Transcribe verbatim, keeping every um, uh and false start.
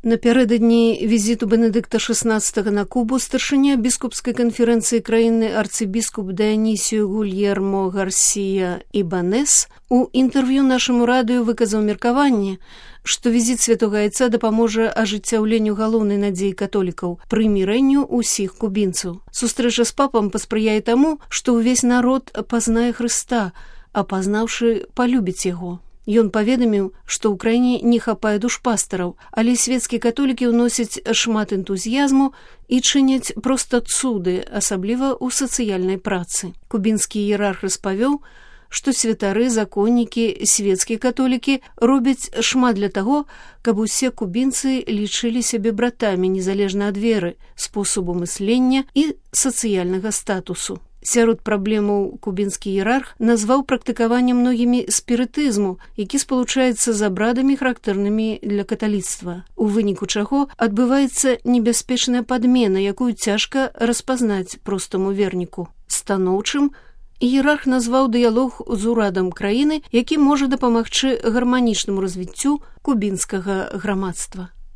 Напярэдадні візіту Бенедыкта шаснаццатага на Кубу старшыня біскупскай канферэнцыі краіны арцыбіскуп Дыанісіо Гульермо Гарсія Ібанес у інтэрв'ю нашаму радыё выказаў меркаванне, што візіт святога айца дапаможа ажыццяўленню галоўнай надзеі католікаў прымірэнню ўсіх кубінцаў. Сустрэча з папам паспрыяе таму, што ўвесь народ пазнае Хрыста, а пазнаўшы, палюбіць яго. Ён паведаміў, што ў краіне не хапае душпастараў, але свецкія католікі ўносяць шмат энтузіязму і чыняць проста цуды, асабліва ў сацыяльнай працы. Кубінскі іерарх распавёў, што святары, законнікі, свецкія католікі робяць шмат для таго, каб усе кубінцы лічылі сябе братамі незалежна ад веры, спосабу мыслення і сацыяльнага статусу. Сярод праблемаў кубінскі іерарх назваў практыкаванне многімі спірытызму, які спалучаецца з абрадамі, характэрнымі для каталіцтва, у выніку чаго адбываецца небяспечная падмена, якую цяжка распазнаць простаму верніку. Станоўчым іерарх назваў дыялог з урадам краіны, які можа дапамагчы гарманічнаму развіццю кубінскага грамадства.